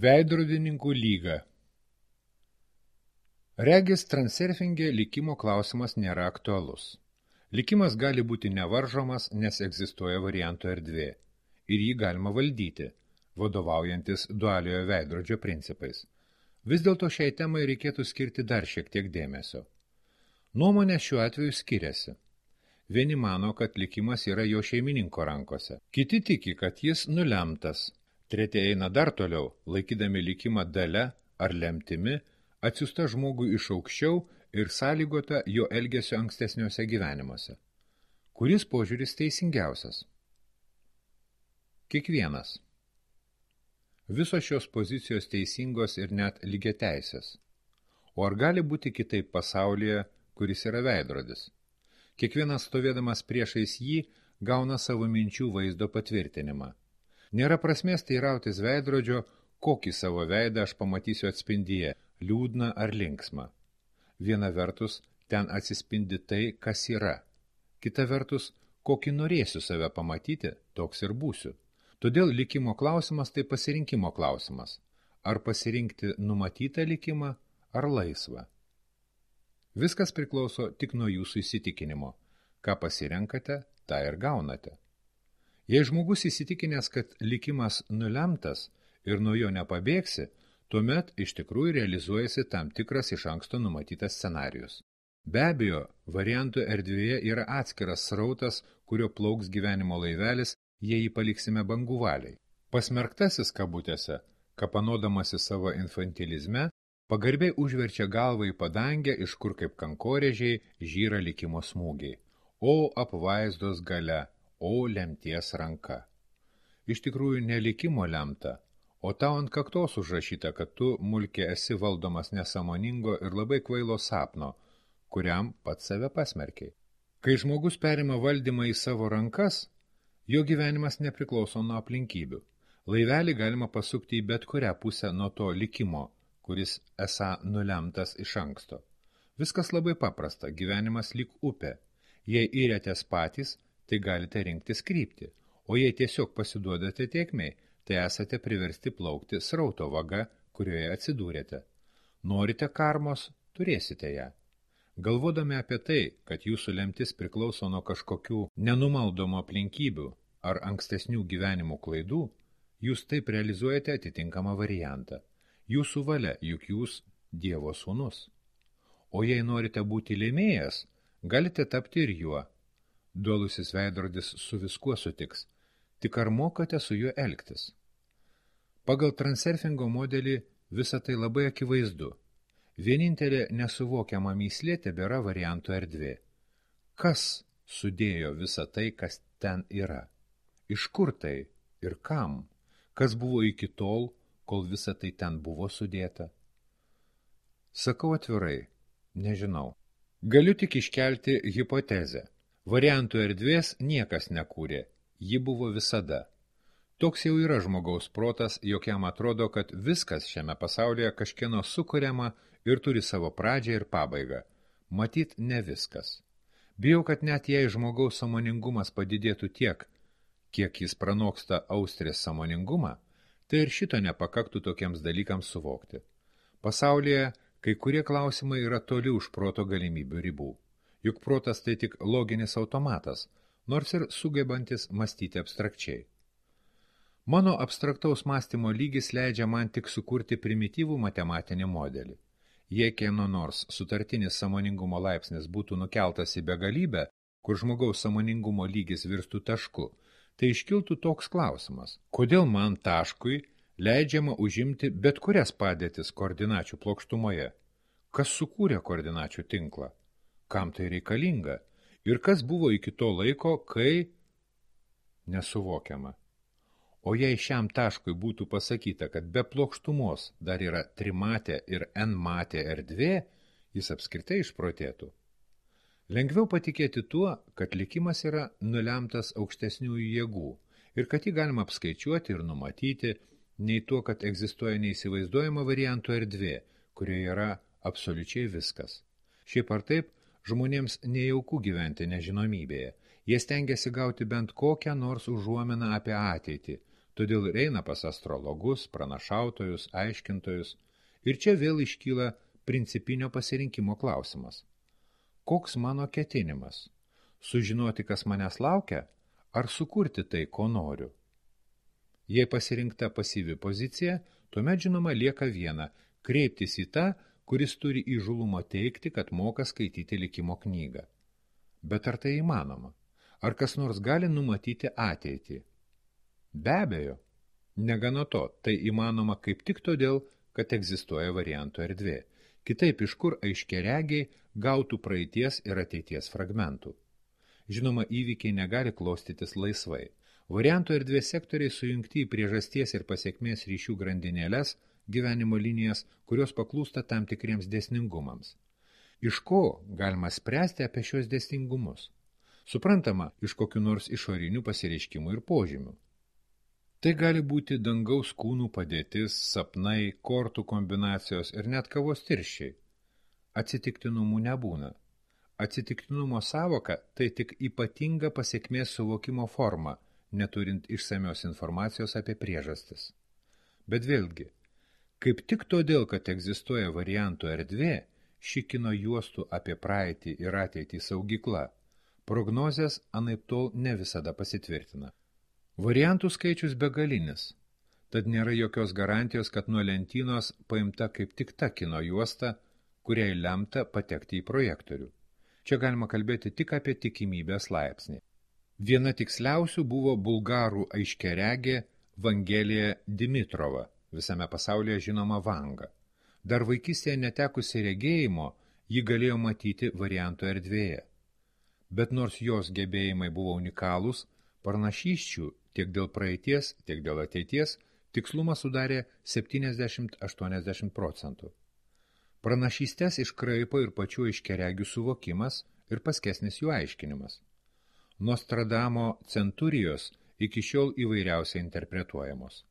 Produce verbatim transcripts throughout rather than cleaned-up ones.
Veidrodininkų lyga. Regis transurfinge likimo klausimas nėra aktualus. Likimas gali būti nevaržomas, nes egzistuoja variantų erdvė, ir jį galima valdyti, vadovaujantis dualiojo veidrodžio principais. Vis dėlto šiai temai reikėtų skirti dar šiek tiek dėmesio. Nuomonė šiuo atveju skiriasi. Vieni mano, kad likimas yra jo šeimininko rankose. Kiti tiki, kad jis nulemtas. Treti eina dar toliau, laikydami likimą dalia ar lemtimi, atsiųsta žmogui iš aukščiau ir sąlygota jo elgesio ankstesniuose gyvenimuose. Kuris požiūris teisingiausias? Kiekvienas. Visos šios pozicijos teisingos ir net lygiateisės. O ar gali būti kitaip pasaulyje, kuris yra veidrodis? Kiekvienas stovėdamas priešais jį gauna savo minčių vaizdo patvirtinimą. Nėra prasmės teirautis veidrodžio, kokį savo veidą aš pamatysiu atspindyje, liūdną ar linksmą. Viena vertus, ten atsispindi tai, kas yra. Kita vertus, kokį norėsiu save pamatyti, toks ir būsiu. Todėl likimo klausimas tai pasirinkimo klausimas. Ar pasirinkti numatytą likimą, ar laisvą. Viskas priklauso tik nuo jūsų įsitikinimo. Ką pasirenkate, tą ir gaunate. Jei žmogus įsitikinęs, kad likimas nulemtas ir nuo jo nepabėgsi, tuomet iš tikrųjų realizuojasi tam tikras iš anksto numatytas scenarijus. Be abejo, variantų erdvėje yra atskiras srautas, kurio plauks gyvenimo laivelis, jei jį paliksime bangų valiai. Pasmerktasis kabutėse, kapanodamasi savo infantilizme, pagarbiai užverčia galvą į padangę, iš kur kaip kankorėžiai žyra likimo smūgiai. O apvaizdos galia! O lemties ranka. Iš tikrųjų ne likimo lemta, o tau ant kaktos užrašyta, kad tu, mulkė, esi valdomas nesąmoningo ir labai kvailo sapno, kuriam pats save pasmerkiai. Kai žmogus perima valdymą į savo rankas, jo gyvenimas nepriklauso nuo aplinkybių. Laivelį galima pasukti į bet kurią pusę nuo to likimo, kuris esą nulemtas iš anksto. Viskas labai paprasta, gyvenimas lyg upė. Jei įrėtės patys, tai galite rinktis kryptį, o jei tiesiog pasiduodate tėkmei, tai esate priversti plaukti srauto vaga, kurioje atsidūrėte. Norite karmos, turėsite ją. Galvodami apie tai, kad jūsų lemtis priklauso nuo kažkokių nenumaldomų aplinkybių ar ankstesnių gyvenimų klaidų, jūs taip realizuojate atitinkamą variantą. Jūsų valia, juk jūs Dievo sūnus. O jei norite būti lėmėjas, galite tapti ir juo. Dualusis veidrodis su viskuo sutiks, tik ar mokate su juo elgtis? Pagal transurfingo modelį visa tai labai akivaizdu. Vienintelė nesuvokiama mįslė tebėra variantų erdvė. Kas sudėjo visą tai, kas ten yra? Iš kur tai ir kam? Kas buvo iki tol, kol visa tai ten buvo sudėta? Sakau atvirai, nežinau. Galiu tik iškelti hipotezę. Variantų erdvės niekas nekūrė, ji buvo visada. Toks jau yra žmogaus protas, jog jam atrodo, kad viskas šiame pasaulyje kažkieno sukuriama ir turi savo pradžią ir pabaigą. Matyt, ne viskas. Bijau, kad net jei žmogaus sąmoningumas padidėtų tiek, kiek jis pranoksta austrės sąmoningumą, tai ir šito nepakaktų tokiems dalykams suvokti. Pasaulyje kai kurie klausimai yra toli už proto galimybių ribų. Juk protas tai tik loginis automatas, nors ir sugebantis mąstyti abstrakčiai. Mano abstraktaus mąstymo lygis leidžia man tik sukurti primityvų matematinį modelį. Jei kieno nors sutartinis sąmoningumo laipsnis būtų nukeltas į begalybę, kur žmogaus sąmoningumo lygis virstų tašku, tai iškiltų toks klausimas. Kodėl man taškui leidžiama užimti bet kurias padėtis koordinačių plokštumoje? Kas sukūrė koordinačių tinklą? Kam tai reikalinga? Ir kas buvo iki to laiko, kai nesuvokiama? O jei šiam taškui būtų pasakyta, kad be plokštumos dar yra trimatė ir n-matė erdvė, jis apskritai išprotėtų. Lengviau patikėti tuo, kad likimas yra nulemtas aukštesniųjų jėgų ir kad jį galima apskaičiuoti ir numatyti, nei tuo, kad egzistuoja neįsivaizduojama variantų erdvė, kurioje yra absoliučiai viskas. Šiaip ar taip, žmonėms nejauku gyventi nežinomybėje. Jie stengiasi gauti bent kokią nors užuominą apie ateitį, Todėl ir eina pas astrologus, pranašautojus, aiškintojus, ir čia vėl iškyla principinio pasirinkimo klausimas. Koks mano ketinimas? Sužinoti, kas manęs laukia, ar sukurti tai, ko noriu? Jei pasirinkta pasyvi pozicija, tuomet žinoma lieka viena – kreiptis į tą, kuris turi įžulumo teikti, kad moka skaityti likimo knygą. Bet ar tai įmanoma? Ar kas nors gali numatyti ateitį? Be abejo. Negana to, tai įmanoma kaip tik todėl, kad egzistuoja variantų erdvė. Kitaip iš kur aiškiaregiai gautų praeities ir ateities fragmentų. Žinoma, įvykiai negali klostytis laisvai. Variantų erdvės sektoriai sujungti į priežasties ir pasiekmės ryšių grandinėles, gyvenimo linijas, kurios paklūsta tam tikriems dėsningumams. Iš ko galima spręsti apie šios dėsningumus? Suprantama, iš kokių nors išorinių pasireiškimų ir požymių. Tai gali būti dangaus kūnų padėtis, sapnai, kortų kombinacijos ir net kavos tirščiai. Atsitiktinumų nebūna. Atsitiktinumo sąvoka tai tik ypatinga pasiekmės suvokimo forma, neturint išsamios informacijos apie priežastis. Bet vėlgi, kaip tik todėl, kad egzistuoja variantų erdvė, ši kino juostų apie praeitį ir ateitį saugykla, prognozės anaiptol ne visada pasitvirtina. Variantų skaičius begalinis, tad nėra jokios garantijos, kad nuo lentynos paimta kaip tik ta kino juosta, kuriai lemta patekti į projektorių. Čia galima kalbėti tik apie tikimybės laipsnį. Viena tiksliausių buvo bulgarų aiškiaregė Vangelija Dimitrova, visame pasaulyje žinoma Vanga. Dar vaikystėje netekusi regėjimo, ji galėjo matyti variantų erdvėje. Bet nors jos gebėjimai buvo unikalūs, pranašysčių tiek dėl praeities, tiek dėl ateities tikslumas sudarė septyniasdešimt iki aštuoniasdešimt procentų. Pranašystes iškraipo ir pačių aiškiaregių suvokimas ir paskesnis jų aiškinimas. Nostradamo centurijos iki šiol įvairiausiai interpretuojamos.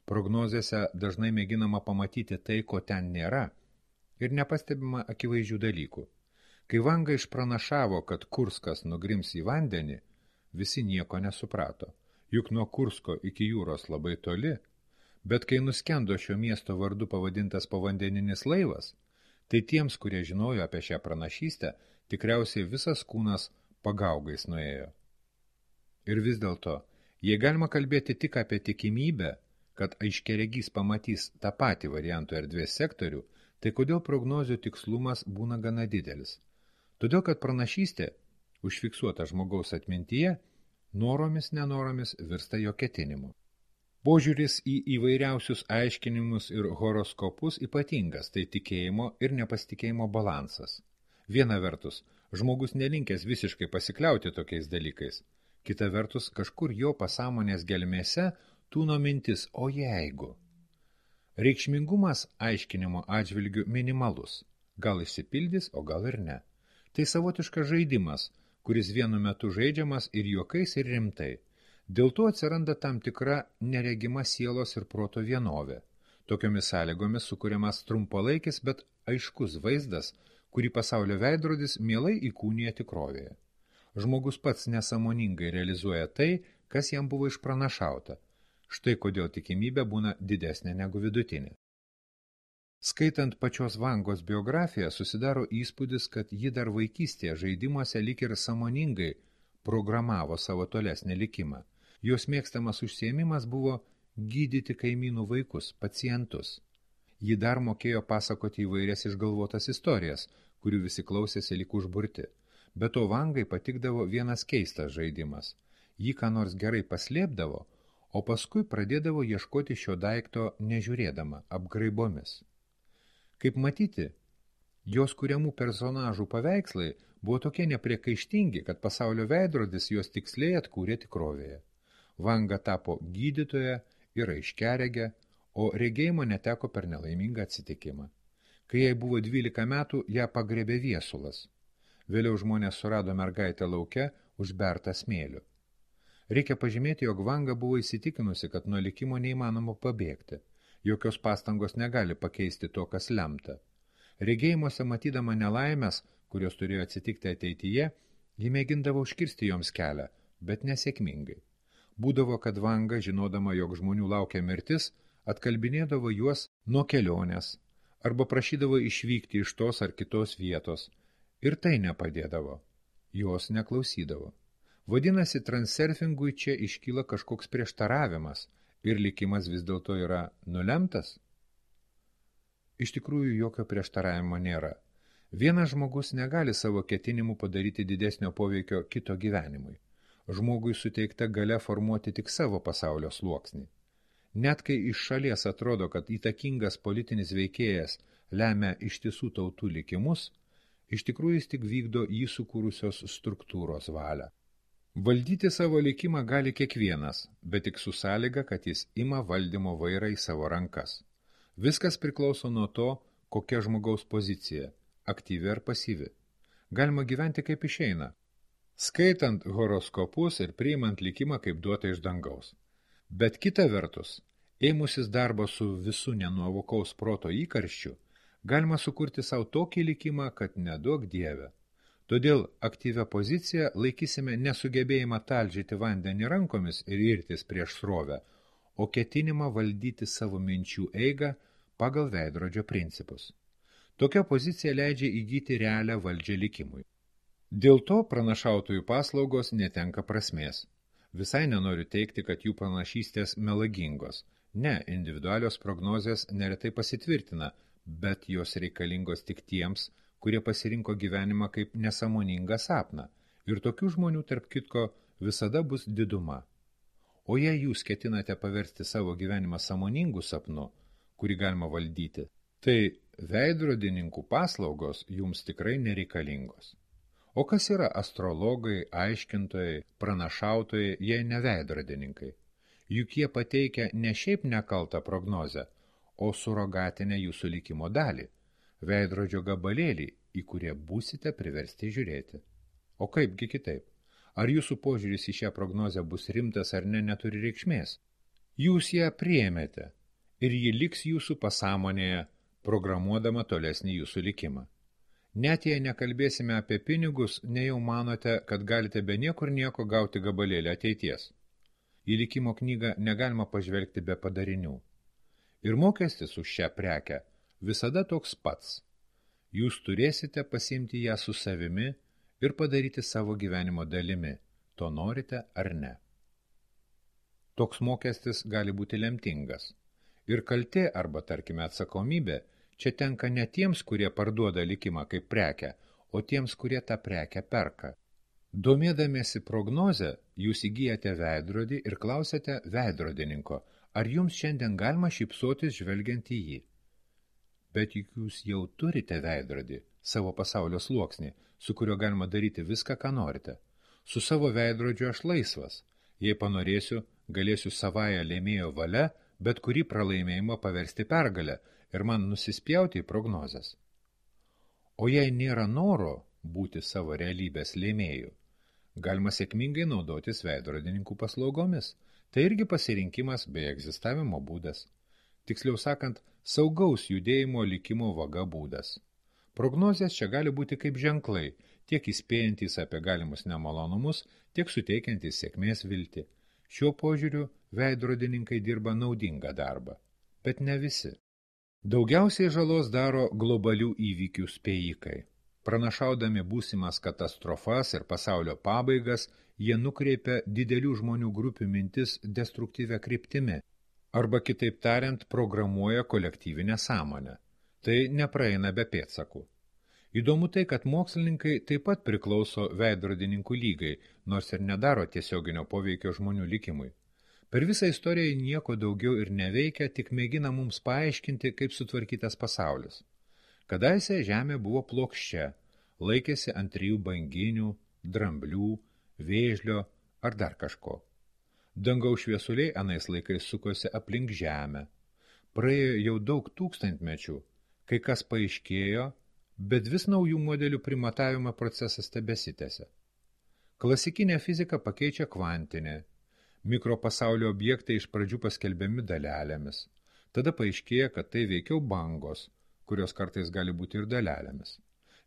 Prognozėse dažnai mėginama pamatyti tai, ko ten nėra, ir nepastebima akivaizdžių dalykų. Kai Vanga išpranašavo, kad Kurskas nugrims į vandenį, visi nieko nesuprato, juk nuo Kursko iki jūros labai toli, bet kai nuskendo šio miesto vardu pavadintas povandeninis laivas, tai tiems, kurie žinojo apie šią pranašystę, tikriausiai visas kūnas pagaugais nuėjo. Ir vis dėlto, jei galima kalbėti tik apie tikimybę, kad aiškiaregys pamatys tą patį variantų erdvės sektorių, tai kodėl prognozių tikslumas būna gana didelis? Todėl, kad pranašystė, užfiksuota žmogaus atmintyje, noromis nenoromis virsta jo ketinimu. Požiūris į įvairiausius aiškinimus ir horoskopus ypatingas, tai tikėjimo ir nepasitikėjimo balansas. Viena vertus, žmogus nelinkęs visiškai pasikliauti tokiais dalykais. Kita vertus, kažkur jo pasąmonės gelmėse tūno mintis, o jeigu. Reikšmingumas aiškinimo atžvilgių minimalus. Gal išsipildys, o gal ir ne. Tai savotiškas žaidimas, kuris vienu metu žaidžiamas ir juokais, ir rimtai. Dėl to atsiranda tam tikra neregima sielos ir proto vienovė. Tokiomis sąlygomis sukuriamas trumpalaikis, bet aiškus vaizdas, kurį pasaulio veidrodis mielai įkūnija tikrovėje. Žmogus pats nesąmoningai realizuoja tai, kas jam buvo išpranašauta. Štai kodėl tikimybė būna didesnė negu vidutinė. Skaitant pačios Vangos biografiją, susidaro įspūdis, kad ji dar vaikystėje žaidimuose lyg ir sąmoningai programavo savo tolesnį likimą. Jos mėgstamas užsiėmimas buvo gydyti kaimynų vaikus, pacientus. Ji dar mokėjo pasakoti įvairias išgalvotas istorijas, kurių visi klausėsi lyg užburti. Be to Vangai patikdavo vienas keistas žaidimas. Ji ką nors gerai paslėpdavo, o paskui pradėdavo ieškoti šio daikto nežiūrėdama, apgraibomis. Kaip matyti, jos kuriamų personažų paveikslai buvo tokie nepriekaištingi, kad pasaulio veidrodis jos tiksliai atkūrė tikrovėje. Vanga tapo gydytoja ir aiškiaregė, o regėjimo neteko per nelaimingą atsitikimą. Kai jai buvo dvylika metų, ją pagrebė viesulas. Vėliau žmonės surado mergaitę lauke užbertą smėliu. Reikia pažymėti, jog Vanga buvo įsitikinusi, kad nuo likimo neįmanoma pabėgti. Jokios pastangos negali pakeisti to, kas lemta. Regėjimuose matydama nelaimės, kurios turėjo atsitikti ateityje, ji mėgindavo užkirsti joms kelią, bet nesėkmingai. Būdavo, kad Vanga, žinodama, jog žmonių laukia mirtis, atkalbinėdavo juos nuo kelionės arba prašydavo išvykti iš tos ar kitos vietos. Ir tai nepadėdavo. Jos neklausydavo. Vadinasi, transurfingui čia iškyla kažkoks prieštaravimas ir likimas vis dėlto yra nulemtas? Iš tikrųjų, jokio prieštaravimo nėra. Vienas žmogus negali savo ketinimų padaryti didesnio poveikio kito gyvenimui. Žmogui suteikta galia formuoti tik savo pasaulio sluoksnį. Net kai iš šalies atrodo, kad įtakingas politinis veikėjas lemia ištisų tautų likimus, iš tikrųjų jis tik vykdo jį sukūrusios struktūros valią. Valdyti savo likimą gali kiekvienas, bet tik su sąlyga, kad jis ima valdymo vairą į savo rankas. Viskas priklauso nuo to, kokia žmogaus pozicija, aktyvi ar pasyvi. Galima gyventi kaip išeina, skaitant horoskopus ir priimant likimą kaip duotą iš dangaus. Bet kita vertus, ėmusis darbo su visų nenuovokaus proto įkarščiu, galima sukurti savo tokį likimą, kad neduok dieve. Todėl aktyvią poziciją laikysime nesugebėjimą talžyti vandenį rankomis ir irtis prieš srovę, o ketinimą valdyti savo minčių eigą pagal veidrodžio principus. Tokia pozicija leidžia įgyti realią valdžią likimui. Dėl to pranašautojų paslaugos netenka prasmės. Visai nenoriu teikti, kad jų pranašystės melagingos. Ne, individualios prognozės neretai pasitvirtina, bet jos reikalingos tik tiems, kurie pasirinko gyvenimą kaip nesąmoningą sapną. Ir tokių žmonių, tarp kitko, visada bus diduma. O jei jūs ketinate paversti savo gyvenimą sąmoningų sapnu, kurį galima valdyti, tai veidrodininkų paslaugos jums tikrai nereikalingos. O kas yra astrologai, aiškintojai, pranašautojai, jei ne veidrodininkai? Juk jie pateikia ne šiaip nekaltą prognozę, o surogatinę jūsų likimo dalį, veidrodžio gabalėlį, į kurie būsite priversti žiūrėti. O kaipgi kitaip? Ar jūsų požiūris į šią prognozę bus rimtas ar ne, neturi reikšmės? Jūs ją priėmėte ir ji liks jūsų pasąmonėje, programuodama tolesnį jūsų likimą. Net jei nekalbėsime apie pinigus, nejau manote, kad galite be niekur nieko gauti gabalėlį ateities. Į likimo knygą negalima pažvelgti be padarinių. Ir mokestis už šią prekę visada toks pats. Jūs turėsite pasiimti ją su savimi ir padaryti savo gyvenimo dalimi, to norite ar ne. Toks mokestis gali būti lemtingas. Ir kaltė arba, tarkime, atsakomybė čia tenka ne tiems, kurie parduoda likimą kaip prekę, o tiems, kurie tą prekę perka. Domėdamiesi prognozę, jūs įgyjate veidrodį ir klausėte veidrodininko, ar jums šiandien galima šypsotis žvelgiant į jį. Bet juk jūs jau turite veidrodį, savo pasaulio sluoksnį, su kuriuo galima daryti viską, ką norite. Su savo veidrodžiu aš laisvas. Jei panorėsiu, galėsiu savąją lėmėjo valia, bet kurį pralaimėjimą paversti pergalę ir man nusispjauti į prognozes. O jei nėra noro būti savo realybės lėmėjų, galima sėkmingai naudotis veidrodininkų paslaugomis. Tai irgi pasirinkimas bei egzistavimo būdas. Tiksliau sakant, saugaus judėjimo likimo vaga būdas. Prognozės čia gali būti kaip ženklai, tiek įspėjantys apie galimus nemalonumus, tiek suteikiantys sėkmės viltį. Šiuo požiūriu veidrodininkai dirba naudingą darbą, bet ne visi. Daugiausiai žalos daro globalių įvykių spėjikai. Pranašaudami būsimas katastrofas ir pasaulio pabaigas, jie nukreipia didelių žmonių grupių mintis destruktyvia kryptimi, arba kitaip tariant, programuoja kolektyvinę sąmonę. Tai nepraeina be pėdsakų. Įdomu tai, kad mokslininkai taip pat priklauso veidrodininkų lygai, nors ir nedaro tiesioginio poveikio žmonių likimui. Per visą istoriją nieko daugiau ir neveikia, tik mėgina mums paaiškinti, kaip sutvarkytas pasaulis. Kadaise žemė buvo plokščia, laikėsi ant trijų banginių, dramblių, vėžlio ar dar kažko. Dangaus šviesuliai anais laikais sukosi aplink žemę. Praėjo jau daug tūkstantmečių, kai kas paaiškėjo, bet vis naujų modelių primatavimo procesas tebesitęsia. Klasikinė fizika pakeičia kvantinė. Mikropasaulio objektai iš pradžių paskelbiami dalelėmis. Tada paaiškėja, kad tai veikiau bangos, kurios kartais gali būti ir dalelėmis.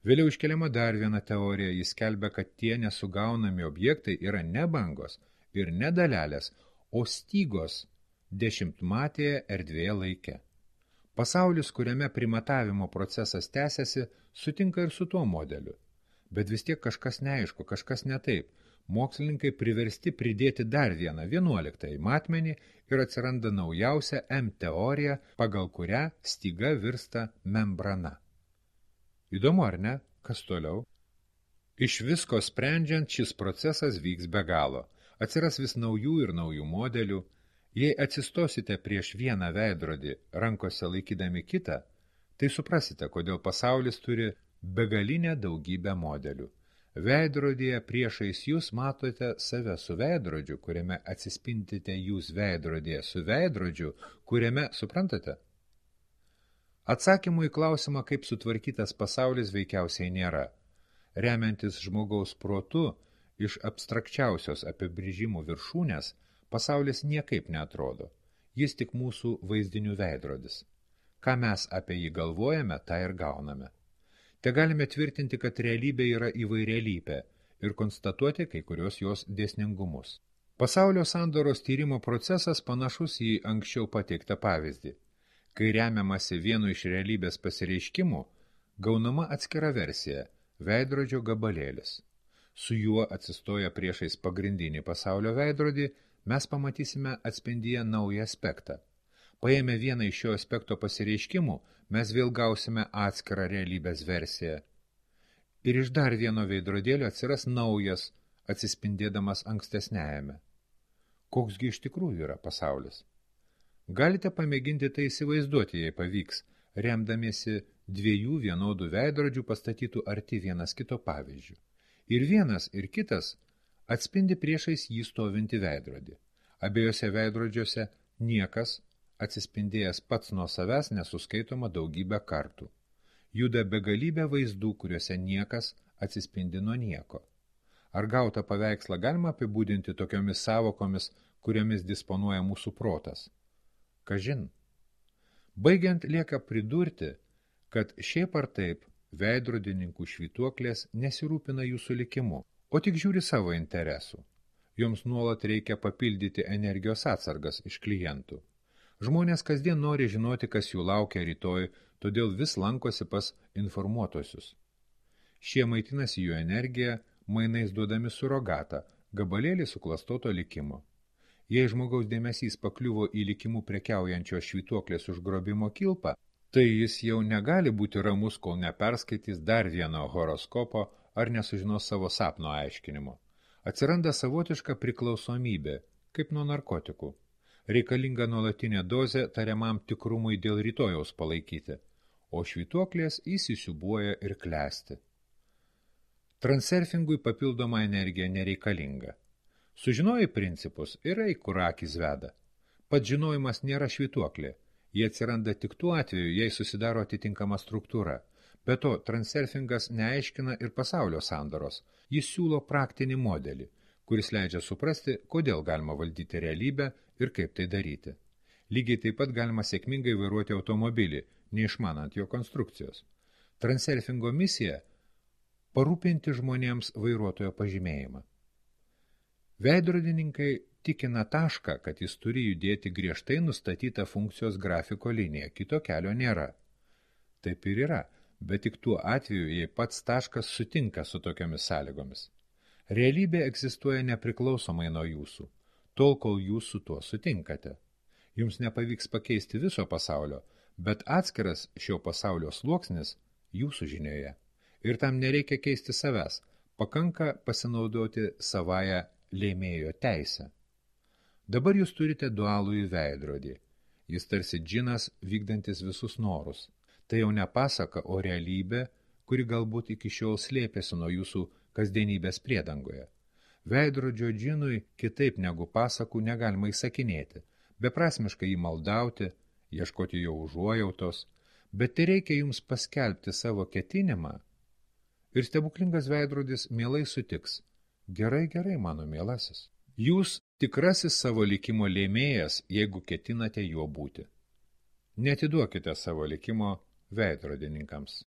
Vėliau iškeliama dar viena teorija, jis skelbia, kad tie nesugaunami objektai yra ne bangos ir ne dalelės, o stygos dešimtmatėje erdvėje laike. Pasaulis, kuriame primatavimo procesas tęsiasi, sutinka ir su tuo modeliu. Bet vis tiek kažkas neaišku, kažkas ne taip. Mokslininkai priversti pridėti dar vieną vienuoliktąjį matmenį ir atsiranda naujausia M teorija, pagal kurią styga virsta membrana. Įdomu, ar ne? Kas toliau? Iš visko sprendžiant, šis procesas vyks be galo. Atsiras vis naujų ir naujų modelių. Jei atsistosite prieš vieną veidrodį, rankose laikydami kitą, tai suprasite, kodėl pasaulis turi begalinę daugybę modelių. Veidrodyje priešais jūs matote save su veidrodžiu, kuriame atsispintite jūs veidrodyje su veidrodžiu, kuriame, suprantate? Atsakymų į klausimą, kaip sutvarkytas pasaulis, veikiausiai nėra. Remiantis žmogaus protu, iš abstrakčiausios apibrėžimų viršūnės, pasaulis niekaip neatrodo. Jis tik mūsų vaizdinių veidrodis. Ką mes apie jį galvojame, tą ir gauname. Te galime tvirtinti, kad realybė yra įvairialypė ir konstatuoti kai kurios jos dėsningumus. Pasaulio sandoros tyrimo procesas panašus į anksčiau pateiktą pavyzdį. Kai remiamasi vienu iš realybės pasireiškimų, gaunama atskira versija – veidrodžio gabalėlis. Su juo atsistoję priešais pagrindinį pasaulio veidrodį, mes pamatysime atspindyje naują aspektą. Paėmę vieną iš šio aspekto pasireiškimų, mes vėl gausime atskirą realybės versiją. Ir iš dar vieno veidrodėlio atsiras naujas, atsispindėdamas ankstesniajame. Koksgi iš tikrųjų yra pasaulis? Galite pamėginti tai įsivaizduoti, jei pavyks, remdamiesi dviejų vienodų veidrodžių pastatytų arti vienas kito pavyzdžių. Ir vienas, ir kitas atspindi priešais jį stovinti veidrodį. Abiejose veidrodžiuose niekas, atsispindėjęs pats nuo savęs, nesuskaitoma daugybę kartų. Juda begalybė vaizdų, kuriuose niekas atsispindi nuo nieko. Ar gautą paveikslą galima apibūdinti tokiomis savokomis, kuriomis disponuoja mūsų protas? Kažin. Baigiant lieka pridurti, kad šiaip ar taip veidrodininkų švytuoklės nesirūpina jūsų likimu, o tik žiūri savo interesų. Joms nuolat reikia papildyti energijos atsargas iš klientų. Žmonės kasdien nori žinoti, kas jų laukia rytoj, todėl vis lankosi pas informuotosius. Šie maitinasi jų energiją, mainais duodami surogatą, gabalėlį suklastoto likimo. Jei žmogaus dėmesys pakliuvo į likimų prekiaujančios švytuoklės užgrobimo kilpą, tai jis jau negali būti ramus, kol neperskaitys dar vieno horoskopo ar nesužinos savo sapno aiškinimo. Atsiranda savotiška priklausomybė, kaip nuo narkotikų. Reikalinga nuolatinė dozė tariamam tikrumui dėl rytojaus palaikyti, o švytuoklės įsisiubuoja ir klesti. Transurfingui papildoma energija nereikalinga. Sužinojai principus ir eik, kur akys veda. Pats žinojimas nėra švytuoklė. Jie atsiranda tik tuo atveju, jei susidaro atitinkama struktūra. Be to, transurfingas neaiškina ir pasaulio sandaros. Jis siūlo praktinį modelį, kuris leidžia suprasti, kodėl galima valdyti realybę ir kaip tai daryti. Lygiai taip pat galima sėkmingai vairuoti automobilį, neišmanant jo konstrukcijos. Transurfingo misija – parūpinti žmonėms vairuotojo pažymėjimą. Veidrodininkai tikina tašką, kad jis turi judėti griežtai nustatytą funkcijos grafiko liniją, kito kelio nėra. Taip ir yra, bet tik tuo atveju, jei pats taškas sutinka su tokiomis sąlygomis. Realybė egzistuoja nepriklausomai nuo jūsų, tol, kol jūs su tuo sutinkate. Jums nepavyks pakeisti viso pasaulio, bet atskiras šio pasaulio sluoksnis jūsų žinioje. Ir tam nereikia keisti savęs, pakanka pasinaudoti savąją lėmėjo teisę. Dabar jūs turite dualųjį veidrodį. Jis tarsi džinas vykdantis visus norus. Tai jau ne pasaka, o realybė, kuri galbūt iki šiol slėpėsi nuo jūsų kasdienybės priedangoje. Veidrodžio džinui kitaip negu pasakų negalima įsakinėti, beprasmiškai jį maldauti, ieškoti jo užuojautos, bet tai reikia jums paskelbti savo ketinimą ir stebuklingas veidrodis mielai sutiks. Gerai, gerai, mano mielasis. Jūs tikrasis savo likimo lėmėjas, jeigu ketinate juo būti. Netiduokite savo likimo veidrodininkams.